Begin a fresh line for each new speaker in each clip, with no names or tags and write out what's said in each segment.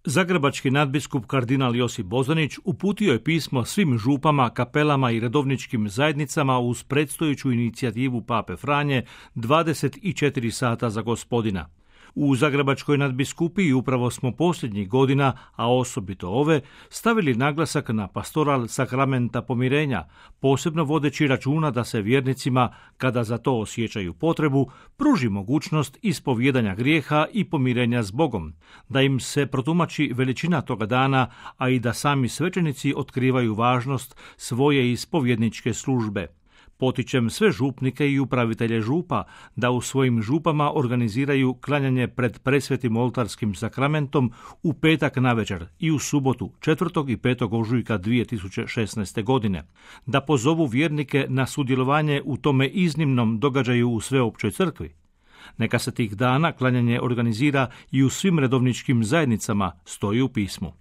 Zagrebački nadbiskup kardinal Josip Bozanić uputio je pismo svim župama, kapelama i redovničkim zajednicama uz predstojeću inicijativu Pape Franje 24 sata za Gospodina. U Zagrebačkoj nadbiskupiji upravo smo posljednjih godina, a osobito ove, stavili naglasak na pastoral sakramenta pomirenja, posebno vodeći računa da se vjernicima, kada za to osjećaju potrebu, pruži mogućnost ispovijedanja grijeha i pomirenja s Bogom, da im se protumači veličina toga dana, a i da sami svećenici otkrivaju važnost svoje ispovjedničke službe. Potičem sve župnike i upravitelje župa da u svojim župama organiziraju klanjanje pred presvetim oltarskim sakramentom u petak navečer i u subotu 4. i 5. ožujka 2016. godine, da pozovu vjernike na sudjelovanje u tome iznimnom događaju u sveopćoj crkvi. Neka se tih dana klanjanje organizira i u svim redovničkim zajednicama, stoji u pismu.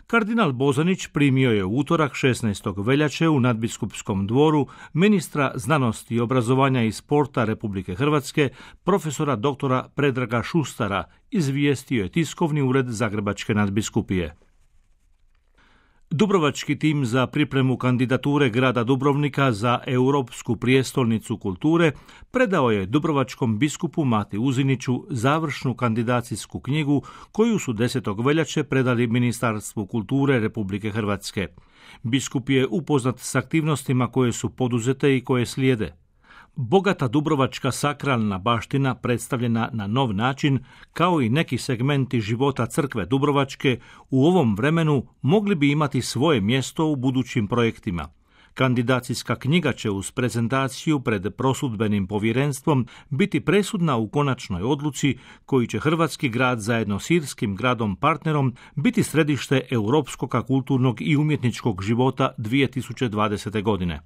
Kardinal Bozanić primio je u utorak 16. veljače u nadbiskupskom dvoru ministra znanosti i obrazovanja i sporta Republike Hrvatske, profesora doktora Predraga Šustara, izvijestio je tiskovni ured Zagrebačke nadbiskupije. Dubrovački tim za pripremu kandidature grada Dubrovnika za Europsku prijestolnicu kulture predao je dubrovačkom biskupu Mati Uziniću završnu kandidacijsku knjigu koju su 10. veljače predali Ministarstvu kulture Republike Hrvatske. Biskup je upoznat s aktivnostima koje su poduzete i koje slijede. Bogata dubrovačka sakralna baština predstavljena na nov način, kao i neki segmenti života crkve Dubrovačke, u ovom vremenu mogli bi imati svoje mjesto u budućim projektima. Kandidacijska knjiga će uz prezentaciju pred prosudbenim povjerenstvom biti presudna u konačnoj odluci koju će hrvatski grad zajedno s irskim gradom partnerom biti središte europskog kulturnog i umjetničkog života 2020. godine.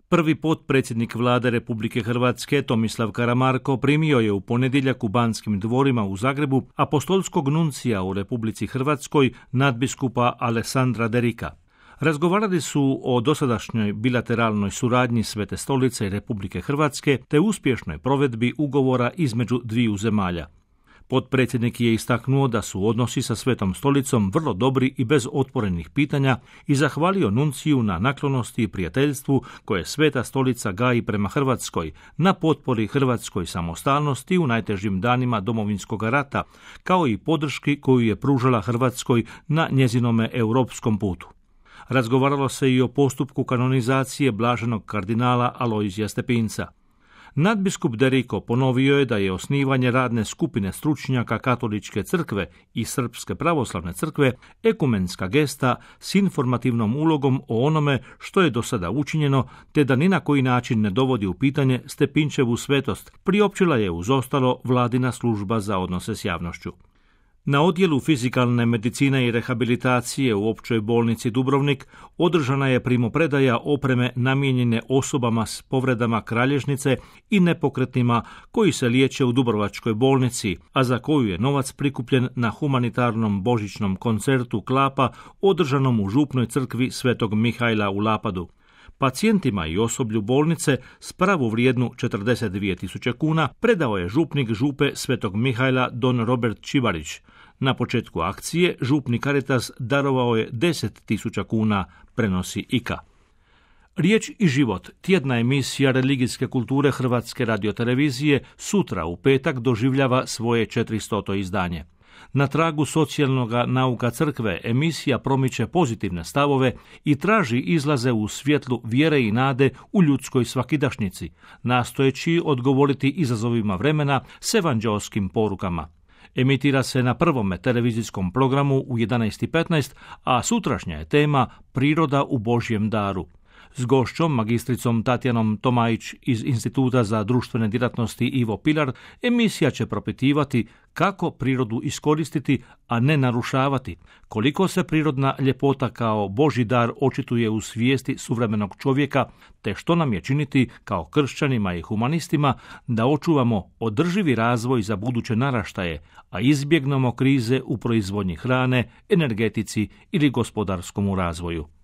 Prvi potpredsjednik Vlade Republike Hrvatske Tomislav Karamarko primio je u ponedjeljak u Banskim dvorima u Zagrebu apostolskog nuncija u Republici Hrvatskoj nadbiskupa Alessandra Derika. Razgovarali su o dosadašnjoj bilateralnoj suradnji Svete stolice i Republike Hrvatske te uspješnoj provedbi ugovora između dviju zemalja. Potpredsjednik je istaknuo da su odnosi sa Svetom stolicom vrlo dobri i bez otvorenih pitanja i zahvalio nunciju na naklonosti i prijateljstvu koje Sveta stolica gaji prema Hrvatskoj, na potpori hrvatskoj samostalnosti u najtežim danima Domovinskog rata, kao i podrški koju je pružala Hrvatskoj na njezinome europskom putu. Razgovaralo se i o postupku kanonizacije blaženog kardinala Alojzija Stepinca. Nadbiskup Deriko ponovio je da je osnivanje radne skupine stručnjaka Katoličke crkve i Srpske pravoslavne crkve ekumenska gesta s informativnom ulogom o onome što je do sada učinjeno, te da ni na koji način ne dovodi u pitanje Stepinčevu svetost, priopćila je uz ostalo vladina služba za odnose s javnošću. Na odjelu fizikalne medicine i rehabilitacije u Općoj bolnici Dubrovnik održana je primopredaja opreme namijenjene osobama s povredama kralježnice i nepokretnima koji se liječe u Dubrovačkoj bolnici, a za koju je novac prikupljen na humanitarnom božićnom koncertu Klapa održanom u župnoj crkvi Svetog Mihajla u Lapadu. Pacijentima i osoblju bolnice s pravovrijednu 42.000 kuna predao je župnik župe Svetog Mihajla don Robert Čivarić. Na početku akcije župni Caritas darovao je 10.000 kuna, prenosi IKA. Riječ i život, tjedna emisija religijske kulture Hrvatske radiotelevizije, sutra u petak doživljava svoje 400. izdanje. Na tragu socijalnog nauka crkve emisija promiče pozitivne stavove i traži izlaze u svjetlu vjere i nade u ljudskoj svakidašnjici, nastojeći odgovoriti izazovima vremena s evanđeoskim porukama. Emitira se na prvome televizijskom programu u 11:15, a sutrašnja je tema Priroda u Božjem daru. S gošćom, magistricom Tatjanom Tomajić iz Instituta za društvene djelatnosti Ivo Pilar, emisija će propitivati kako prirodu iskoristiti, a ne narušavati, koliko se prirodna ljepota kao Božji dar očituje u svijesti suvremenog čovjeka, te što nam je činiti kao kršćanima i humanistima da očuvamo održivi razvoj za buduće naraštaje, a izbjegnemo krize u proizvodnji hrane, energetici ili gospodarskom razvoju.